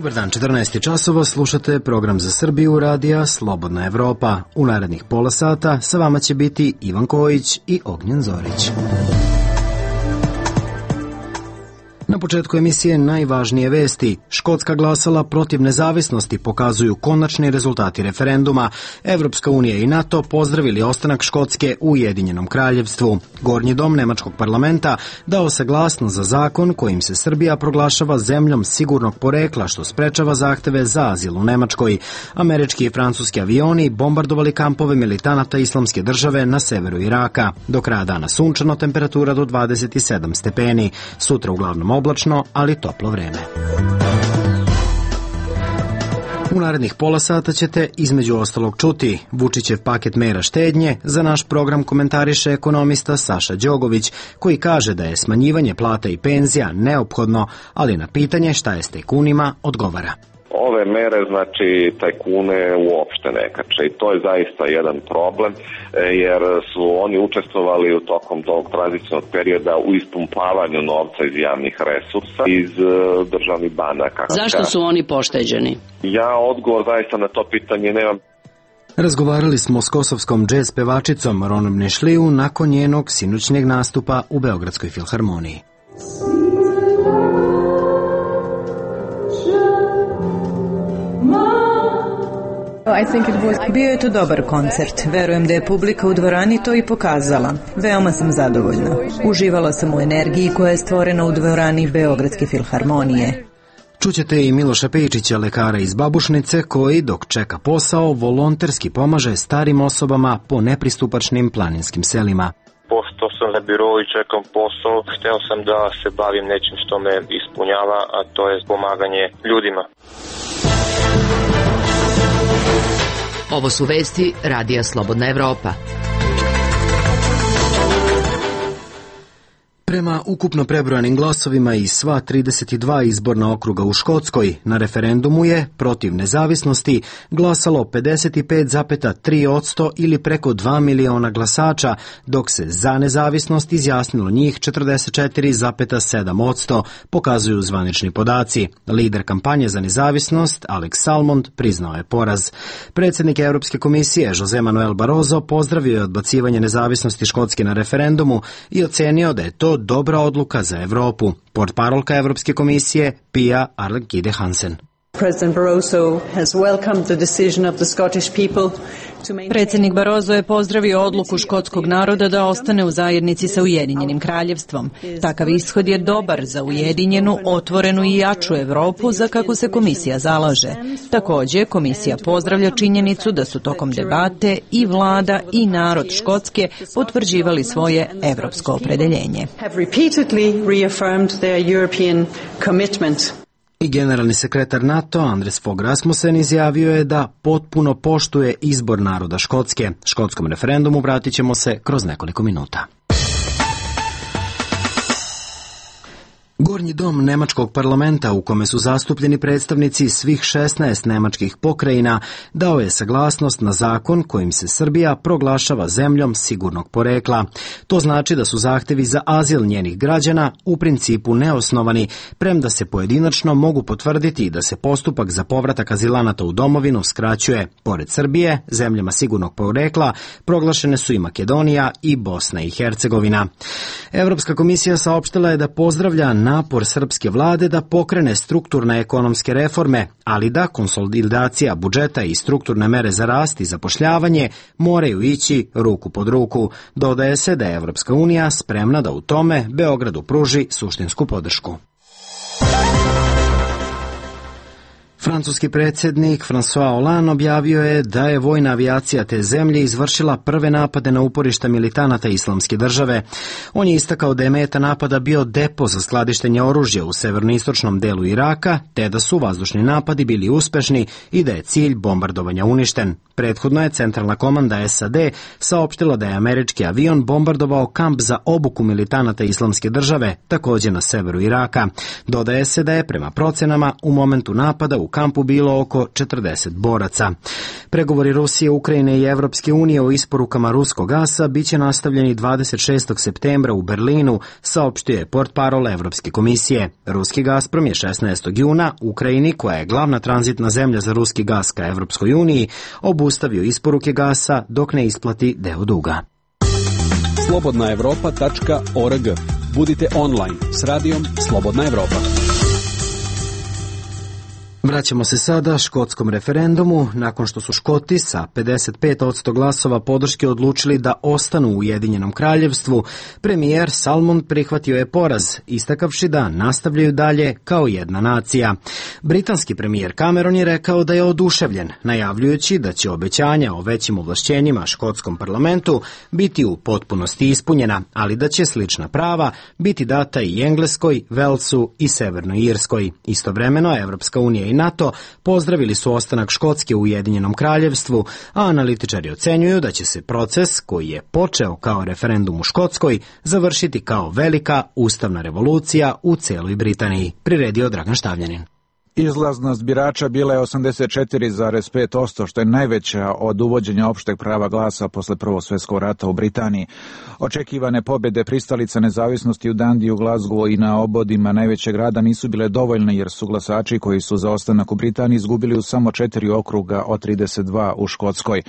Dobar dan, 14 časova, slušate program za Srbiju radija Slobodna Evropa. U narednih pola sata sa vama će biti Ivan Kojić i Ognjen Zorić. Na početku emisije najvažnije vesti. Škotska glasala protiv nezavisnosti, pokazuju konačni rezultati referenduma. Evropska unija i NATO pozdravili ostanak Škotske u Ujedinjenom kraljevstvu. Gornji dom Nemačkog parlamenta dao saglasnost za zakon kojim se Srbija proglašava zemljom sigurnog porekla, što sprečava zahteve za azil u Nemačkoj. Američki i francuski avioni bombardovali kampove militanata Islamske države na severu Iraka. Do kraja dana sunčano, temperatura do 27 stepeni. Sutra uglavnom oblačno, ali toplo vreme. U narednih pola sata ćete između ostalog čuti Vučićev paket mera štednje. Za naš program komentariše ekonomista Saša Đogović, koji kaže da je smanjivanje plata i penzija neophodno, ali na pitanje šta je s tajkunima odgovara. Ove mere, znači, tajkune uopšte ne kače i to je zaista jedan problem, jer su oni učestvovali u tokom tog tranzicijnog perioda u ispumpavanju novca iz javnih resursa, iz državnih banaka. Zašto su oni pošteđeni? Ja odgovor zaista na to pitanje nemam. Razgovarali smo s kosovskom džez pevačicom Ronom Nešliju nakon njenog sinoćnjeg nastupa u Beogradskoj filharmoniji. Bio je to dobar koncert. Verujem da je publika u dvorani to i pokazala. Veoma sam zadovoljna. Uživala sam u energiji koja je stvorena u dvorani Beogradske filharmonije. Čućete i Miloša Pejčića, lekara iz Babušnice, koji, dok čeka posao, volonterski pomaže starim osobama po nepristupačnim planinskim selima. Pošto sam na birou i čekam posao, hteo sam da se bavim nečim što me ispunjava, a to je pomaganje ljudima. Ovo su vesti radija Slobodna Evropa. Prema ukupno prebrojanim glasovima iz sva 32 izborna okruga u Škotskoj, na referendumu je protiv nezavisnosti glasalo 55,3% ili preko 2 miliona glasača, dok se za nezavisnost izjasnilo njih 44,7%, pokazuju zvanični podaci. Lider kampanje za nezavisnost, Alex Salmond, priznao je poraz. Predsjednik Europske komisije, Jose Manuel Barroso, pozdravio je odbacivanje nezavisnosti Škotske na referendumu i ocenio da je to dobra odluka za Evropu. Portparolka Evropske komisije Pia Arlegide Hansen. Predsjednik Barroso je pozdravio odluku škotskog naroda da ostane u zajednici sa Ujedinjenim kraljevstvom. Takav ishod je dobar za ujedinjenu, otvorenu i jaču Evropu za kako se komisija zalaže. Također, komisija pozdravlja činjenicu da su tokom debate i vlada i narod Škotske potvrđivali svoje evropsko opredeljenje. I generalni sekretar NATO Anders Fogh Rasmussen izjavio je da potpuno poštuje izbor naroda Škotske. Škotskom referendumu vratit ćemo se kroz nekoliko minuta. Gornji dom Nemačkog parlamenta, u kome su zastupljeni predstavnici svih 16 nemačkih pokrajina, dao je saglasnost na zakon kojim se Srbija proglašava zemljom sigurnog porekla. To znači da su zahtevi za azil njenih građana u principu neosnovani, premda se pojedinačno mogu potvrditi da se postupak za povratak azilanata u domovinu skraćuje. Pored Srbije, zemljama sigurnog porekla proglašene su i Makedonija i Bosna i Hercegovina. Evropska komisija saopštila je da pozdravlja napor srpske vlade da pokrene strukturne ekonomske reforme, ali da konsolidacija budžeta i strukturne mere za rast i zapošljavanje moraju ići ruku pod ruku. Dodaje se da je Evropska unija spremna da u tome Beogradu pruži suštinsku podršku. Francuski predsjednik François Hollande objavio je da je vojna avijacija te zemlje izvršila prve napade na uporišta militanata Islamske države. On je istakao da je meta napada bio depo za skladištenje oružja u severnoistočnom delu Iraka, te da su vazdušni napadi bili uspešni i da je cilj bombardovanja uništen. Prethodno je centralna komanda SAD saopštila da je američki avion bombardovao kamp za obuku militanata Islamske države, također na severu Iraka. Dodaje se da je prema procenama u momentu napada u kampu bilo oko 40 boraca. Pregovori Rusije, Ukrajine i Evropske unije o isporukama ruskog gasa biće nastavljeni 26. septembra u Berlinu, saopštio je portparol Evropske komisije. Ruski Gazprom je 16. juna Ukrajini, koja je glavna tranzitna zemlja za ruski gas ka Evropskoj uniji, obustavio isporuke gasa dok ne isplati deo duga. slobodnaevropa.org. Budite online s radijom Slobodna Evropa. Vraćamo se sada škotskom referendumu. Nakon što su Škoti sa 55% glasova podrške odlučili da ostanu u Ujedinjenom kraljevstvu, premijer Salmond prihvatio je poraz, istakavši da nastavljaju dalje kao jedna nacija. Britanski premijer Cameron je rekao da je oduševljen, najavljujući da će obećanja o većim ovlašćenjima škotskom parlamentu biti u potpunosti ispunjena, ali da će slična prava biti data i Engleskoj, Velsu i Severnoj Irskoj. Istovremeno, Evropska unija i NATO pozdravili su ostanak Škotske u Ujedinjenom kraljevstvu, a analitičari ocenjuju da će se proces, koji je počeo kao referendum u Škotskoj, završiti kao velika ustavna revolucija u celoj Britaniji, priredio Dragan Štavljanin. Izlaznost birača bila je 84,5%, što je najveća od uvođenja opšteg prava glasa posle Prvog svjetskog rata u Britaniji. Očekivane pobjede pristalica nezavisnosti u Dundee, u Glasgowu i na obodima najvećeg grada nisu bile dovoljne, jer su glasači koji su za ostanak u Britaniji izgubili u samo 4 okruga od 32 u Škotskoj.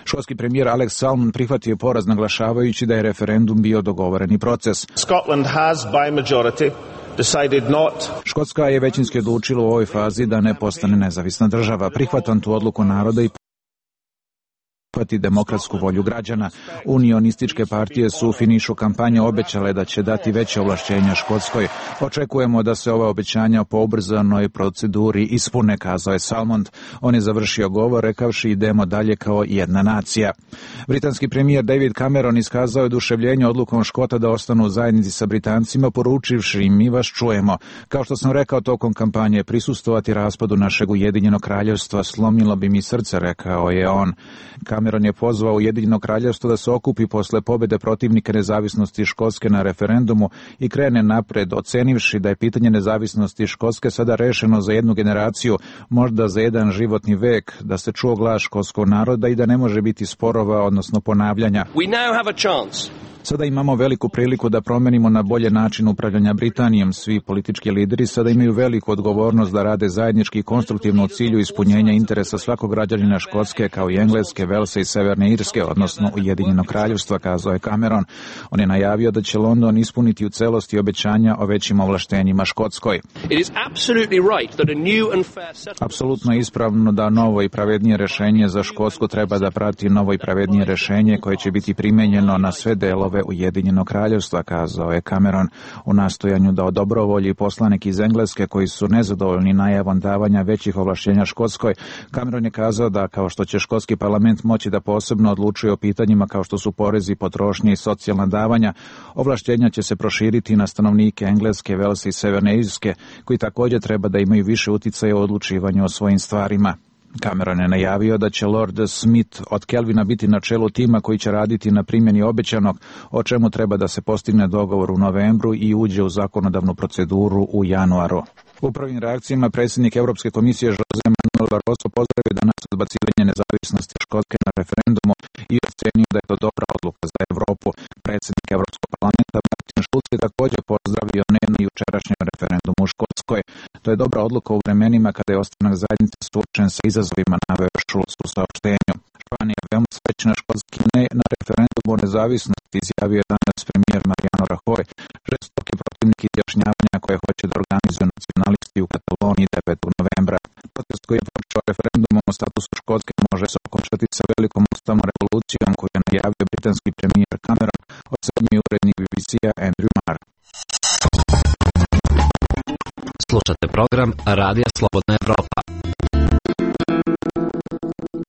Škotski premijer Alex Salmond prihvatio poraz, naglašavajući da je referendum bio dogovoreni proces. Scotland has by majority decided not. Škotska je većinski odlučila u ovoj fazi da ne postane nezavisna država. Prihvatam tu odluku naroda i prihvati demokratsku volju građana. Unionističke partije su u finišu kampanje obećale da će dati veće ovlašćenja Škotskoj. Očekujemo da se ova obećanja po ubrzanoj proceduri ispune, kazao je Salmond. On je završio govor rekavši idemo dalje kao jedna nacija. Britanski premijer David Cameron iskazao je oduševljenje odlukom Škota da ostanu u zajednici sa Britancima, poručivši mi vas čujemo. Kao što sam rekao tokom kampanje, prisustvovati raspadu našeg Ujedinjenog kraljevstva slomilo bi mi srce, rekao je on. Cameron je pozvao Ujedinjeno kraljevstvo da se okupi posle pobjede protivnika nezavisnosti Škotske na referendumu i krene napred, ocenivši da je pitanje nezavisnosti Škotske sada rešeno za jednu generaciju, možda za jedan životni vek, da se čuo glas škotskog naroda i da ne može biti sporova, odnosno ponavljanja. We now have a chance. Sada imamo veliku priliku da promenimo na bolje način upravljanja Britanijom. Svi politički lideri sada imaju veliku odgovornost da rade zajednički i konstruktivno u cilju ispunjenja interesa svakog građanina Škotske, kao i Engleske, Velsa i Severne Irske, odnosno Ujedinjenog kraljevstva, kazao je Cameron. On je najavio da će London ispuniti u celosti obećanja o većim ovlaštenjima Škotskoj. Apsolutno je ispravno da novo i pravednije rešenje za Škotsku treba da prati novo i pravednije rešenje koje će biti primenjeno na sve delove Ujedinjenog kraljevstva, kazao je Cameron u nastojanju da odobrovolji poslanik iz Engleske koji su nezadovoljni najavom davanja većih ovlašćenja Škotskoj. Cameron je kazao da kao što će škotski parlament moći da posebno odlučuje o pitanjima kao što su porezi, potrošnje i socijalna davanja, ovlašćenja će se proširiti na stanovnike Engleske, Velsa i Severne Irske, koji također treba da imaju više uticaja u odlučivanju o svojim stvarima. Cameron je najavio da će Lord Smith od Kelvina biti na čelu tima koji će raditi na primjeni obećanog, o čemu treba da se postigne dogovor u novembru i uđe u zakonodavnu proceduru u januaru. U prvim reakcijama predsjednik Evropske komisije Jose Manuel Barroso pozdravio danas odbacivanje nezavisnosti Škotske na referendumu i ocenio da je to dobra odluka za Evropu. Predsjednik Evropskog parlamenta Martin Schulz je također pozdravio na jučerašnjem referendumu u Škotskoj. To je dobra odluka u vremenima kada je ostanak zajednice suočen sa izazovima, naveo Schulz u saopštenju. Španija je veoma srećna škotski ne na referendumu o nezavisnosti, izjavio je danas premijer Mariano Rajoy, žestoki protivnik izjašnjavanja koje hoće da organizuju nacionalisti u Kataloniji 9. novembra. Protest koji je počeo referendumom o statusu Škotske može se okončati sa velikom ustavnom revolucijom koju je najavio britanski premijer Cameron, ocenjuje urednik BBC-a Andrew Marr. Slušate program Radija Slobodna Evropa.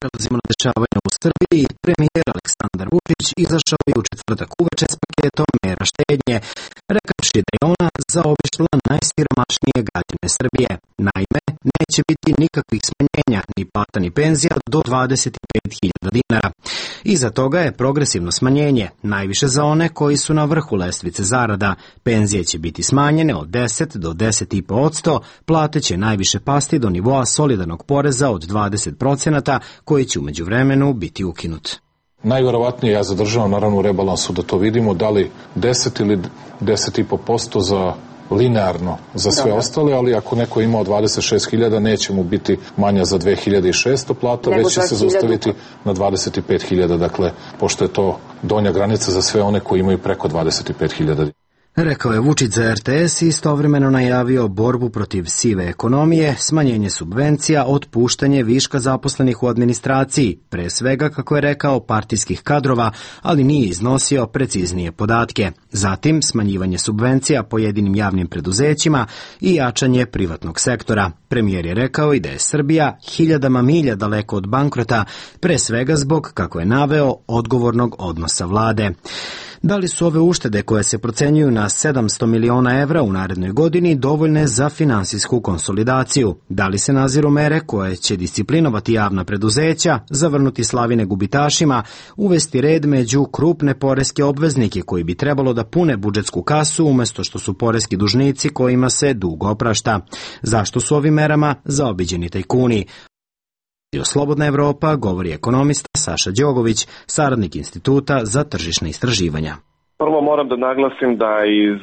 Prelazimo na dešavanja u Srbiji. Premijer Aleksandar Vučić izašao je u četvrtak uveče s paketom mera štednje, rekavši da je ona zaobišla najsiromašnije građane Srbije. Naime, neće biti nikakvih smanjenja ni plata ni penzija do 25.000 dinara. Iza toga je progresivno smanjenje, najviše za one koji su na vrhu lestvice zarada. Penzije će biti smanjene od 10 do 10,5%, plate će najviše pasti do nivoa solidarnog poreza od 20%, koji će u međuvremenu biti ukinut. Najverovatnije ja zadržavam naravno u rebalansu da to vidimo, da li 10 ili 10,5% za linearno za sve ostale, ali ako neko ima 26.000 neće mu biti manja za 2.600 plata, već će se zaustaviti na 25.000, dakle, pošto je to donja granica za sve one koji imaju preko 25.000. Rekao je Vučić za RTS i istovremeno najavio borbu protiv sive ekonomije, smanjenje subvencija, otpuštanje viška zaposlenih u administraciji, pre svega, kako je rekao, partijskih kadrova, ali nije iznosio preciznije podatke. Zatim, smanjivanje subvencija pojedinim javnim preduzećima i jačanje privatnog sektora. Premijer je rekao i da je Srbija hiljadama milja daleko od bankrota, pre svega zbog, kako je naveo, odgovornog odnosa vlade. Da li su ove uštede koje se procenjuju na 700 miliona evra u narednoj godini dovoljne za finansijsku konsolidaciju? Da li se naziru mere koje će disciplinovati javna preduzeća, zavrnuti slavine gubitašima, uvesti red među krupne poreske obveznike koji bi trebalo da pune budžetsku kasu umesto što su poreski dužnici kojima se dug oprašta? Zašto su ovim merama zaobiđeni tajkuni? Slobodna Evropa govori ekonomista Saša Đogović, saradnik Instituta za tržišna istraživanja. Prvo moram da naglasim da iz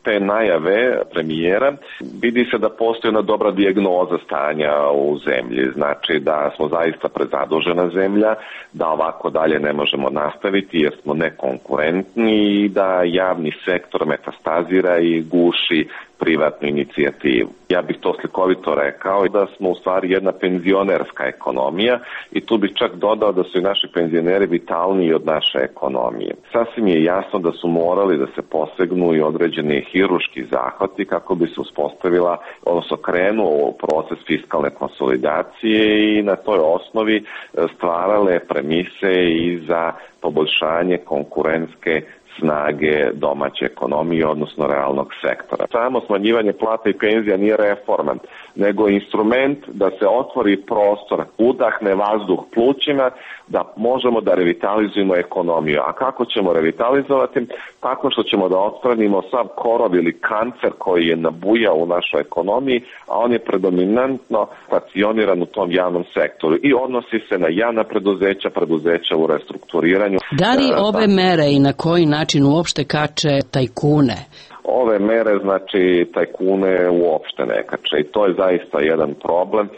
te najave premijera vidi se da postoji jedna dobra dijagnoza stanja u zemlji. Znači da smo zaista prezadužena zemlja, da ovako dalje ne možemo nastaviti jer smo nekonkurentni i da javni sektor metastazira i guši privatnu inicijativu. Ja bih to slikovito rekao da smo u stvari jedna penzionerska ekonomija i tu bih čak dodao da su i naši penzioneri vitalniji od naše ekonomije. Sasvim je jasno da su morali da se posegnu i određeni hirurški zahvati kako bi se uspostavila, odnosno krenuo proces fiskalne konsolidacije i na toj osnovi stvarale premise i za poboljšanje konkurentske snage domaće ekonomije, odnosno realnog sektora. Samo smanjivanje plata i penzija nije reforma, nego instrument da se otvori prostor, udahne vazduh plućima, da možemo da revitalizujemo ekonomiju. A kako ćemo revitalizovati? Tako što ćemo da otstranimo sav korov ili kancer koji je nabujao u našoj ekonomiji, a on je predominantno stacioniran u tom javnom sektoru i odnosi se na javna preduzeća u restrukturiranju. Da li ove mere i na koji način uopšte kače tajkune? Ove mere, znači, tajkune uopšte ne kače i to je zaista jedan problem,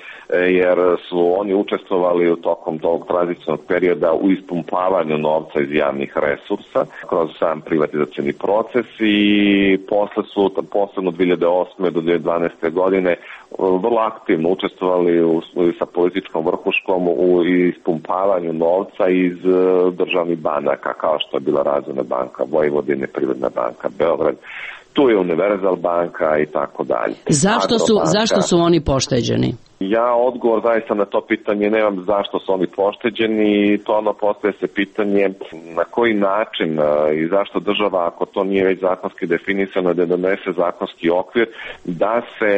jer su oni učestvovali u tokom tog tranzicionog perioda u ispumpavanju novca iz javnih resursa kroz sam privatizacioni proces i posle su, posebno 2008. do 2012. godine, vrlo aktivno učestvovali sa političkom vrhuškom u ispumpavanju novca iz državnih banaka, kao što je bila Razvojna banka Vojvodine, Privredna banka Beograd, tu je Univerzal banka i tako dalje. Zašto su oni pošteđeni? Ja odgovor zaista na to pitanje nemam zašto su oni pošteđeni i to ono postaje se pitanje na koji način i zašto država, ako to nije već zakonski definisano, da donese zakonski okvir, da se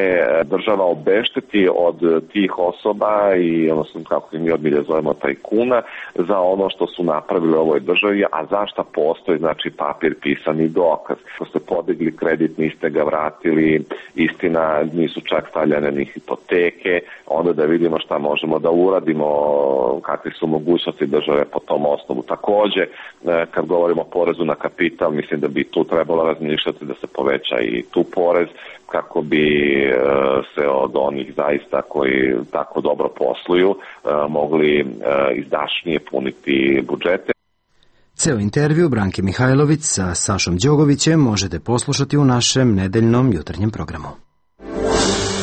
država obešteti od tih osoba i odnosno kako mi odbilje zovemo tajkuna za ono što su napravili u ovoj državi, a zašto postoji znači papir pisani dokaz. Ako ste podigli kredit, niste ga vratili, istina nisu čak stavljene ni hipoteke, onda da vidimo šta možemo da uradimo, kakve su mogućnosti države po tom osnovu. Takođe, kad govorimo o porezu na kapital, mislim da bi tu trebalo razmišljati da se poveća i tu porez, kako bi se od onih zaista koji tako dobro posluju mogli izdašnije puniti budžete. Ceo intervju Branke Mihajlović sa Sašom Đogovićem možete poslušati u našem nedeljnom jutarnjem programu.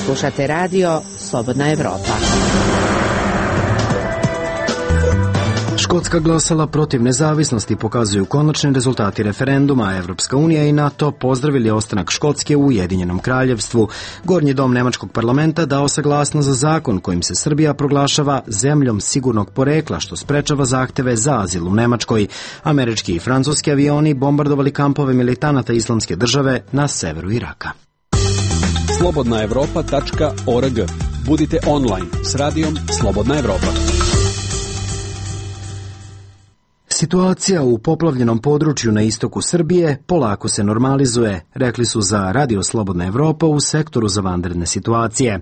Slušate radio Slobodna Evropa. Škotska glasala protiv nezavisnosti, pokazuju konačni rezultati referenduma. Evropska unija i NATO pozdravili ostanak Škotske u Ujedinjenom kraljevstvu. Gornji dom nemačkog parlamenta dao saglasnost za zakon kojim se Srbija proglašava zemljom sigurnog porekla, što sprečava zahteve za azil u Nemačkoj. Američki i francuski avioni bombardovali kampove militanata Islamske države na severu Iraka. slobodnaevropa.org. Budite online s radijom Slobodna Evropa. Situacija u poplavljenom području na istoku Srbije polako se normalizuje, rekli su za Radio Slobodna Evropa u sektoru za vanredne situacije.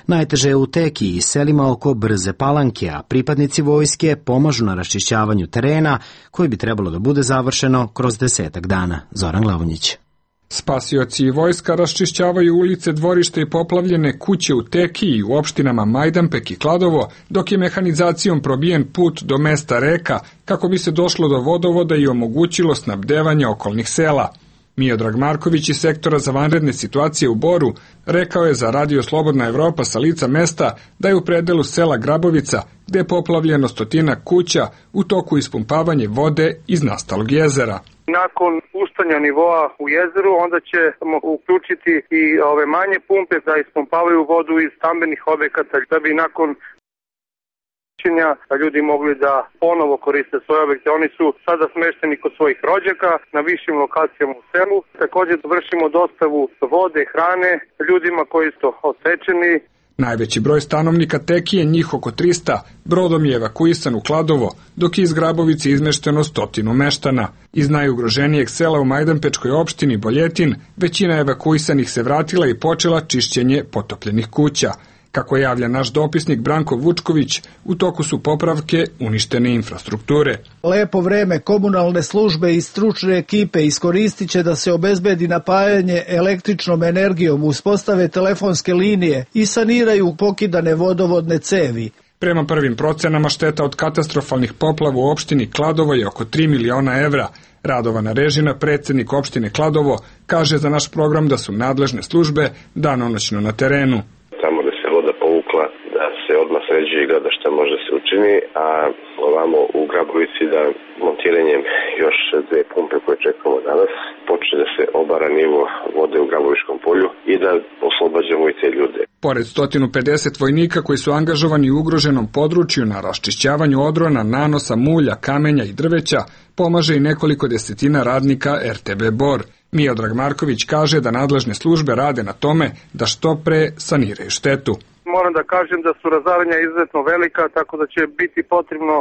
Najteže je u Teki i selima oko Brze Palanke, a pripadnici vojske pomažu na raščišćavanju terena koji bi trebalo da bude završeno kroz 10 dana. Zoran Glavonjić. Spasioci i vojska raščišćavaju ulice, dvorište i poplavljene kuće u Teki i u opštinama Majdanpek i Kladovo, dok je mehanizacijom probijen put do mesta Reka kako bi se došlo do vodovoda i omogućilo snabdevanje okolnih sela. Miodrag Marković iz sektora za vanredne situacije u Boru rekao je za Radio Slobodna Evropa sa lica mesta da je u predelu sela Grabovica, gde je poplavljeno 100 kuća, u toku ispumpavanje vode iz nastalog jezera. Nakon puštanja nivoa u jezeru, onda ćemo uključiti i ove manje pumpe da ispumpavaju vodu iz stambenih objekata, da bi nakon ljudi mogli da ponovo koriste svoje objekte. Oni su sada smešteni kod svojih rođaka na višim lokacijama u selu. Također vršimo dostavu vode, hrane ljudima koji su odsečeni. Najveći broj stanovnika Teki je njih oko 300, brodom je evakuisan u Kladovo, dok je iz Grabovice izmešteno 100 meštana. Iz najugroženijeg sela u Majdanpečkoj opštini Boljetin, većina evakuisanih se vratila i počela čišćenje potopljenih kuća. Kako javlja naš dopisnik Branko Vučković, u toku su popravke uništene infrastrukture. Lepo vreme komunalne službe i stručne ekipe iskoristit će da se obezbedi napajanje električnom energijom, uspostave telefonske linije i saniraju pokidane vodovodne cevi. Prema prvim procenama šteta od katastrofalnih poplava u opštini Kladovo je oko 3 miliona evra. Radovana Režina, predsjednik opštine Kladovo, kaže za naš program da su nadležne službe danonoćno na terenu. Da se odmah sređuje i gleda šta može se učini, a ovamo u Grabovici da montiranjem još 2 pumpe koje čekamo danas počne da se obara nivo vode u Grabovičkom polju i da oslobađamo i te ljude. Pored 150 vojnika koji su angažovani u ugroženom području na raščišćavanju odrona, nanosa, mulja, kamenja i drveća, pomaže i nekoliko desetina radnika RTB Bor. Miodrag Marković kaže da nadležne službe rade na tome da što pre saniraju štetu. Moram da kažem da su razaranja izuzetno velika, tako da će biti potrebno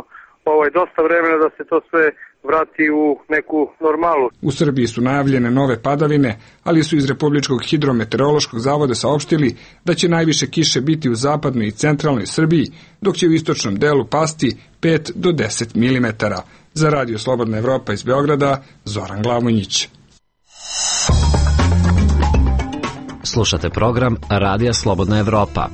dosta vremena da se to sve vrati u neku normalu. U Srbiji su najavljene nove padavine, ali su iz Republičkog hidrometeorološkog zavoda saopštili da će najviše kiše biti u zapadnoj i centralnoj Srbiji, dok će u istočnom delu pasti 5 do 10 mm. Za Radio Slobodna Evropa iz Beograda, Zoran Glavonjić. Slušate program Radija Slobodna Evropa.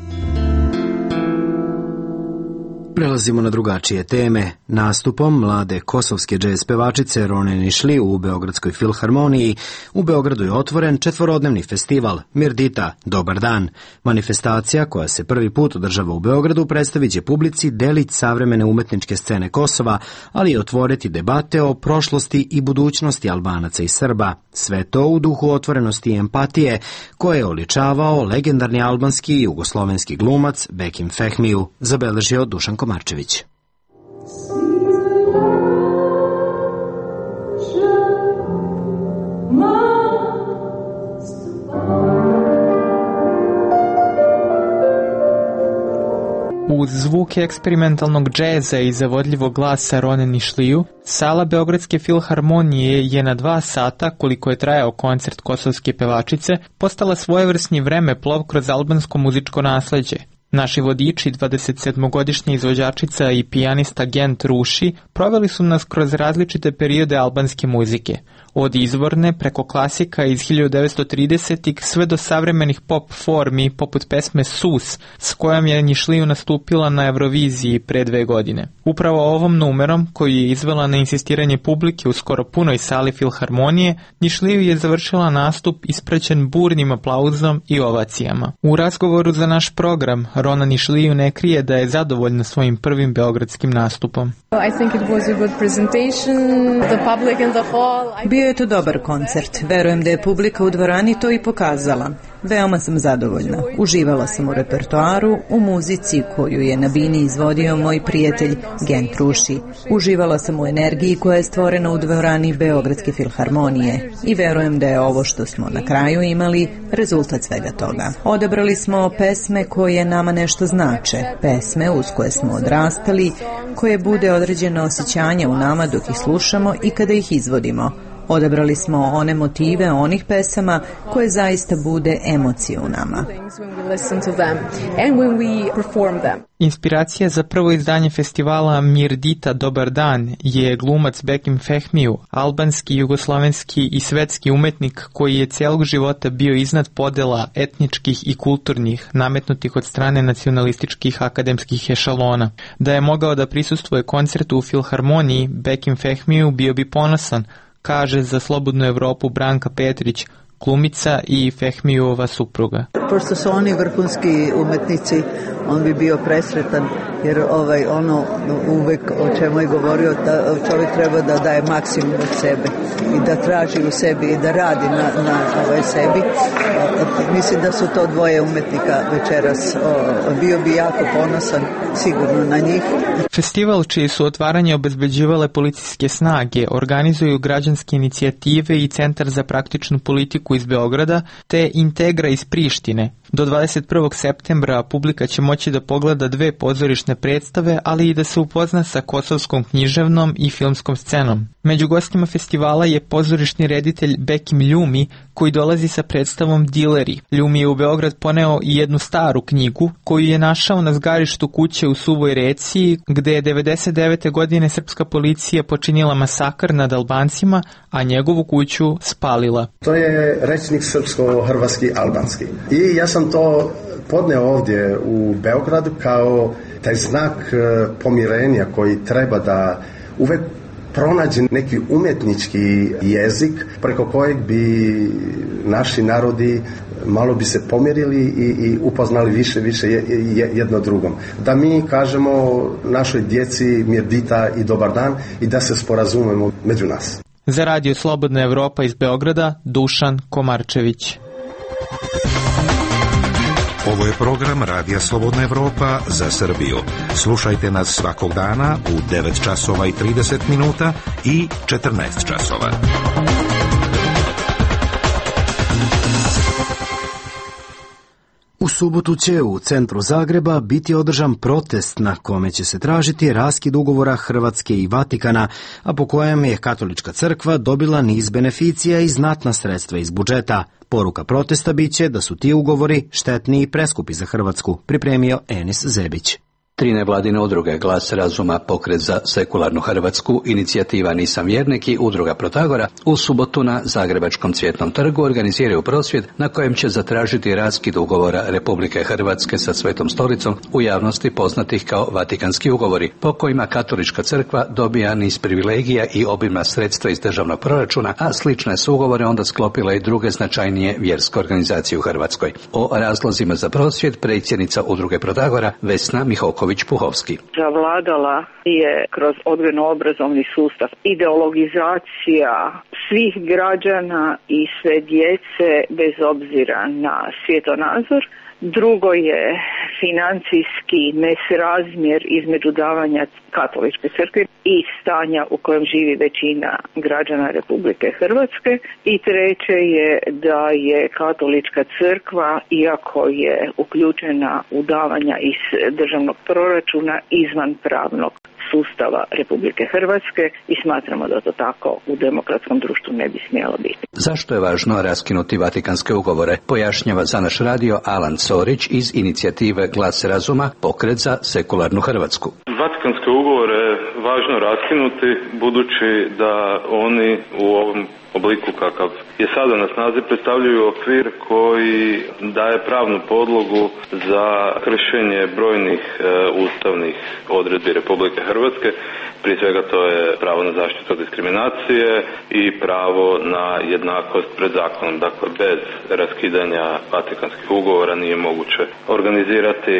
Prelazimo na drugačije teme. Nastupom mlade kosovske džez pevačice Rone Nišli u Beogradskoj filharmoniji u Beogradu je otvoren 4-dnevni festival Mirdita, dobar dan. Manifestacija koja se prvi put održava u Beogradu predstavit će publici delić savremene umetničke scene Kosova, ali i otvoriti debate o prošlosti i budućnosti Albanaca i Srba. Sve to u duhu otvorenosti i empatije koje je oličavao legendarni albanski i jugoslovenski glumac Bekim Fehmiju, zabeležio Dušan Komarčević. Uz zvuke eksperimentalnog džeza i zavodljivog glasa Rone Nišliju, sala Beogradske filharmonije je na 2 sata, koliko je trajao koncert kosovske pevačice, postala svojevrsni vremeplov kroz albansko muzičko nasleđe. Naši vodiči, 27-godišnja izvođačica i pijanista Gent Ruši, proveli su nas kroz različite periode albanske muzike. Od izvorne preko klasika iz 1930-ih sve do savremenih pop formi poput pesme Sus, s kojom je Nišliju nastupila na Euroviziji pre 2 godine. Upravo ovom numerom, koju je izvela na insistiranje publike u skoro punoj sali filharmonije, Nišliju je završila nastup ispraćen burnim aplauzom i ovacijama. U razgovoru za naš program, Rona Nišliju ne krije da je zadovoljna svojim prvim beogradskim nastupom. I think it was a good presentation. The public in the hall. Bio Bio je to dobar koncert. Verujem da je publika u dvorani to i pokazala. Veoma sam zadovoljna. Uživala sam u repertoaru, u muzici koju je na bini izvodio moj prijatelj Gent Ruši. Uživala sam u energiji koja je stvorena u dvorani Beogradske filharmonije i verujem da je ovo što smo na kraju imali rezultat svega toga. Odabrali smo pesme koje nama nešto znače, pesme uz koje smo odrastali, koje bude određeno osjećanje u nama dok ih slušamo i kada ih izvodimo. Odabrali smo one motive onih pesama koje zaista bude emocije u nama. Inspiracija za prvo izdanje festivala Mirdita Dobar dan je glumac Bekim Fehmiju, albanski, jugoslovenski i svetski umetnik koji je cijelog života bio iznad podela etničkih i kulturnih nametnutih od strane nacionalističkih akademskih ešalona. Da je mogao da prisustvuje koncertu u Filharmoniji, Bekim Fehmiju bio bi ponosan, kaže za Slobodnu Evropu Branka Petrić, glumica i Fehmijova supruga. Pošto su oni vrhunski umetnici, on bi bio presretan, jer ono uvek o čemu je govorio, da čovjek treba da daje maksimum od sebe i da traži u sebi i da radi na sebi. Mislim da su to dvoje umetnika večeras. Bio bi jako ponosan sigurno na njih. Festival čije su otvaranje obezbeđivale policijske snage organizuju građanske inicijative i Centar za praktičnu politiku iz Beograda te Integra iz Prištine. Do 21. septembra publika će moći da pogleda 2 pozorišne predstave, ali i da se upozna sa kosovskom književnom i filmskom scenom. Među gostima festivala je pozorišni reditelj Bekim Ljumi, koji dolazi sa predstavom Dileri. Ljumi je u Beograd poneo i jednu staru knjigu, koju je našao na zgarištu kuće u Suvoj Reci, gde je 99. godine srpska policija počinila masakr nad Albancima, a njegovu kuću spalila. To je rečnik srpsko-hrvatski albanski. I ja sam to podneo ovdje u Beogradu kao taj znak pomirenja koji treba da uvek pronađe neki umjetnički jezik preko kojeg bi naši narodi malo bi se pomirili i upoznali više jedno drugom. Da mi kažemo našoj djeci Mirdita i dobar dan i da se sporazumemo među nas. Za Radio Slobodna Evropa iz Beograda, Dušan Komarčević. Ovo je program Radija Slobodna Evropa za Srbiju. Slušajte nas svakog dana u 9 časova i 30 minuta i 14 časova. U subotu će u centru Zagreba biti održan protest na kome će se tražiti raskid ugovora Hrvatske i Vatikana, a po kojem je Katolička crkva dobila niz beneficija i znatna sredstva iz budžeta. Poruka protesta biće da su ti ugovori štetni i preskupi za Hrvatsku, pripremio Enis Zebić. 3 nevladine udruge, Glas razuma, Pokret za sekularnu Hrvatsku, Inicijativa Nisam vjernik i Udruga Protagora u subotu na Zagrebačkom Cvjetnom trgu organiziraju prosvjed na kojem će zatražiti raskid ugovora Republike Hrvatske sa Svetom stolicom, u javnosti poznatih kao Vatikanski ugovori, po kojima Katolička crkva dobija niz privilegija i obimna sredstva iz državnog proračuna, a slične su ugovore onda sklopile i druge značajnije vjerske organizacije u Hrvatskoj. O razlozima za prosvjed predsjednica Udruge Protagora Vesna Mihoković Puhovski. Zavladala je kroz odgojno-obrazovni sustav ideologizacija svih građana i sve djece bez obzira na svjetonazor. Drugo je financijski nesrazmjer između davanja Katoličke crkve i stanja u kojem živi većina građana Republike Hrvatske. I treće je da je Katolička crkva, iako je uključena u davanja iz državnog proračuna, izvan pravnog sustava Republike Hrvatske i smatramo da to tako u demokratskom društvu ne bi smjelo biti. Zašto je važno raskinuti Vatikanske ugovore, pojašnjava za naš radio Alan Sorić iz Inicijative Glas razuma, Pokret za sekularnu Hrvatsku. Vatikanske ugovore je važno raskinuti budući da oni u ovom obliku kakav je sada na snazi predstavljaju okvir koji daje pravnu podlogu za kršenje brojnih ustavnih odredbi Republike Hrvatske. Prije svega to je pravo na zaštitu od diskriminacije i pravo na jednakost pred zakonom. Dakle, bez raskidanja Vatikanskih ugovora nije moguće organizirati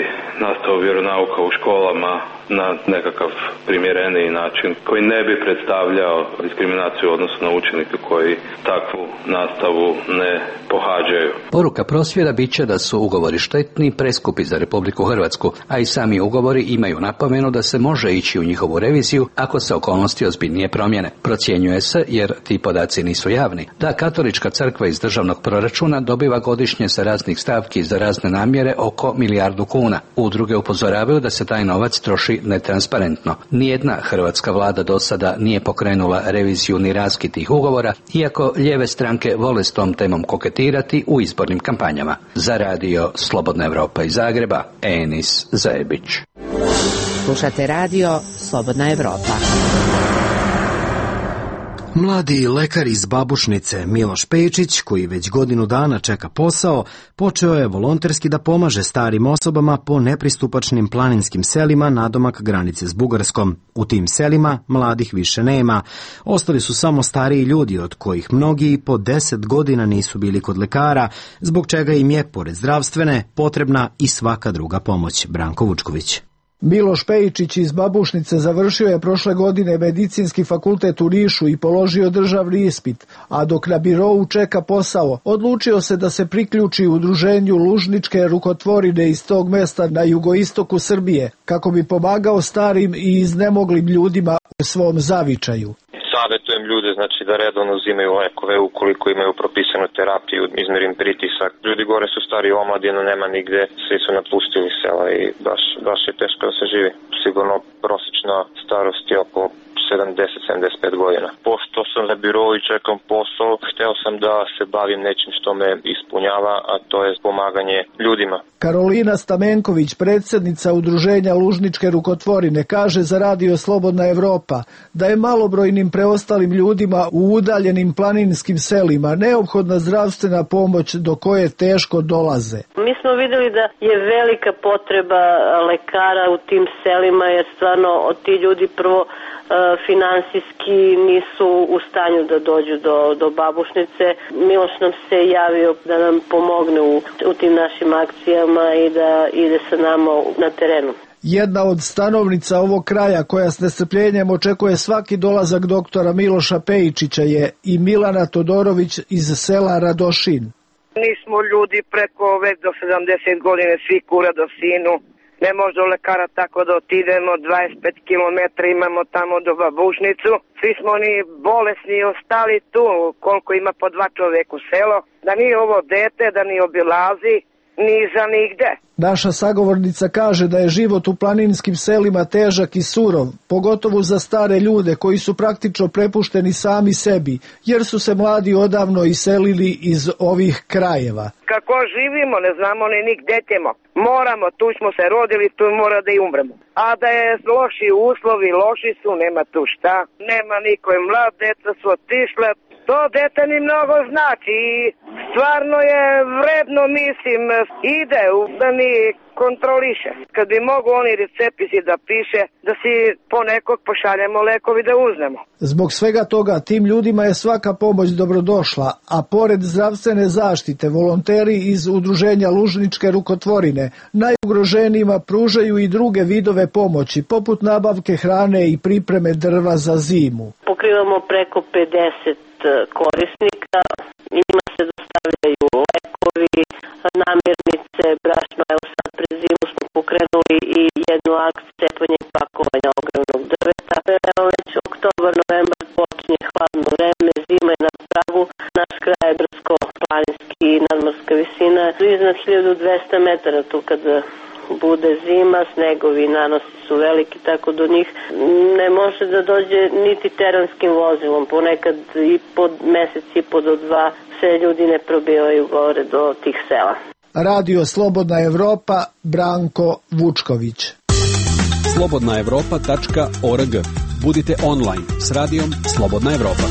nastavu vjeronauka u školama na nekakav primjereniji način koji ne bi predstavljao diskriminaciju u odnosu na učenike koji takvu nastavu ne pohađaju. Poruka prosvjeda bit će da su ugovori štetni, preskupi za Republiku Hrvatsku, a i sami ugovori imaju napomenu da se može ići u njihovu reviziju ako se okolnosti ozbiljnije promjene. Procjenjuje se, jer ti podaci nisu javni, da Katolička crkva iz državnog proračuna dobiva godišnje sa raznih stavki za razne namjere oko 1 milijardu kuna. Udruge upozoravaju da se taj novac troši netransparentno. Nijedna hrvatska vlada do sada nije pokrenula reviziju ni raskid tih ugovora, iako lijeve stranke vole s tom temom koketirati u izbornim kampanjama. Za radio Slobodna Evropa iz Zagreba, Enis Zajebić. Slušate radio Slobodna Evropa. Mladi lekar iz Babušnice Miloš Pejčić, koji već godinu dana čeka posao, počeo je volonterski da pomaže starim osobama po nepristupačnim planinskim selima nadomak granice s Bugarskom. U tim selima mladih više nema. Ostali su samo stariji ljudi, od kojih mnogi i po 10 godina nisu bili kod lekara, zbog čega im je, pored zdravstvene, potrebna i svaka druga pomoć. Branko Vučković. Miloš Pejčić iz Babušnice završio je prošle godine medicinski fakultet u Nišu i položio državni ispit, a dok na birou čeka posao, odlučio se da se priključi udruženju Lužničke rukotvorine iz tog mesta na jugoistoku Srbije, kako bi pomagao starim i iznemoglim ljudima u svom zavičaju. Savjetujem ljude, znači, da redovno uzimaju lekove ukoliko imaju propisanu terapiju, izmerim pritisak. Ljudi gore su stari omladino, nema nigde, svi su napustili sela i baš je teško da se živi. Sigurno prosječna starost je oko 70-75 godina. Pošto sam na birou i čekam posao, hteo sam da se bavim nečim što me ispunjava, a to je pomaganje ljudima. Karolina Stamenković, predsjednica udruženja Lužničke rukotvorine, kaže za radio Slobodna Evropa da je malobrojnim preostalim ljudima u udaljenim planinskim selima neophodna zdravstvena pomoć do koje teško dolaze. Mi smo vidjeli da je velika potreba lekara u tim selima, jer stvarno ti ljudi prvo finansijski nisu u stanju da dođu do Babušnice. Miloš nam se javio da nam pomogne u tim našim akcijama i da ide sa nama na terenu. Jedna od stanovnica ovog kraja koja s nestrpljenjem očekuje svaki dolazak doktora Miloša Pejčića je i Milana Todorović iz sela Radošin. Nismo ljudi preko već do 70 godine, svi kura do sinu. Ne može do lekara tako da otidemo, 25 km imamo tamo do Babušnicu. Svi smo ni bolesni i ostali tu, koliko ima po 2 čoveka u selo. Da nije ovo dete, da ni obilazi, ni za nigde. Naša sagovornica kaže da je život u planinskim selima težak i surov, pogotovo za stare ljude koji su praktično prepušteni sami sebi, jer su se mladi odavno iselili iz ovih krajeva. Kako živimo, ne znamo ni gde ćemo. Moramo, tu smo se rodili, tu mora da i umremo. A da je loši uslovi, loši su, nema tu šta. Nema niko je mlad, deca su otišle. To dete ni mnogo znači i stvarno je vredno, mislim, ide da ni kontroliše. Kad bi mogu oni recepisi da piše, da si po nekog pošaljemo lekovi da uznemo. Zbog svega toga tim ljudima je svaka pomoć dobrodošla, a pored zdravstvene zaštite volonteri iz udruženja Lužničke rukotvorine najugroženijima pružaju i druge vidove pomoći, poput nabavke hrane i pripreme drva za zimu. Pokrivamo preko 50 korisnika, njima se dostavljaju lekovi, namirnice, brašno. Evo sad pred zimu smo pokrenuli i jednu akciju cepanja i pakovanja ogromnog drveta. Evo već oktobar, novembar počinje hladno vreme, zima je na pragu, naš kraj je brdsko-planinski i nadmorska visina. Iznad 1200 metara tu kada bude zima, snegovi i nanosi su veliki, tako do njih ne može da dođe niti teranskim vozilom. Ponekad i po mesec i po do 2 se ljudi ne probijaju gore do tih sela. Radio Slobodna Evropa, Branko Vučković. slobodnaevropa.org. Budite online s radijom Slobodna Evropa.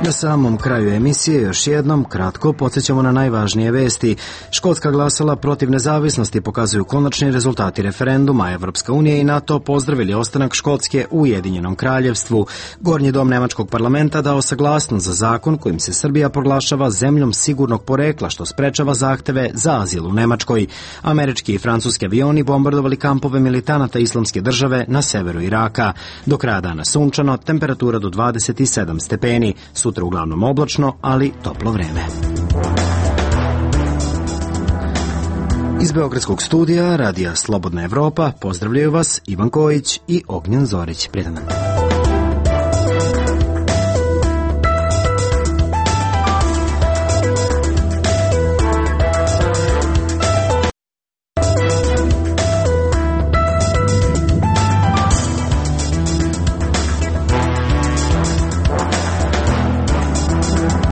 Na samom kraju emisije još jednom kratko podsjećamo na najvažnije vesti. Škotska glasala protiv nezavisnosti, pokazuju konačni rezultati referenduma. Evropska unija i NATO pozdravili ostanak Škotske u Ujedinjenom kraljevstvu. Gornji dom nemačkog parlamenta dao saglasnost za zakon kojim se Srbija proglašava zemljom sigurnog porekla, što sprečava zahteve za azil u Nemačkoj. Američki i francuski avioni bombardovali kampove militanata Islamske države na severu Iraka. Do kraja dana sunčano, temperatura do 27 stepeni. Sutra uglavnom oblačno, ali toplo vreme. Iz Beogradskog studija Radija Slobodna Evropa pozdravljaju vas Ivan Kojić i Ognjen Zorić. Prijetan dan.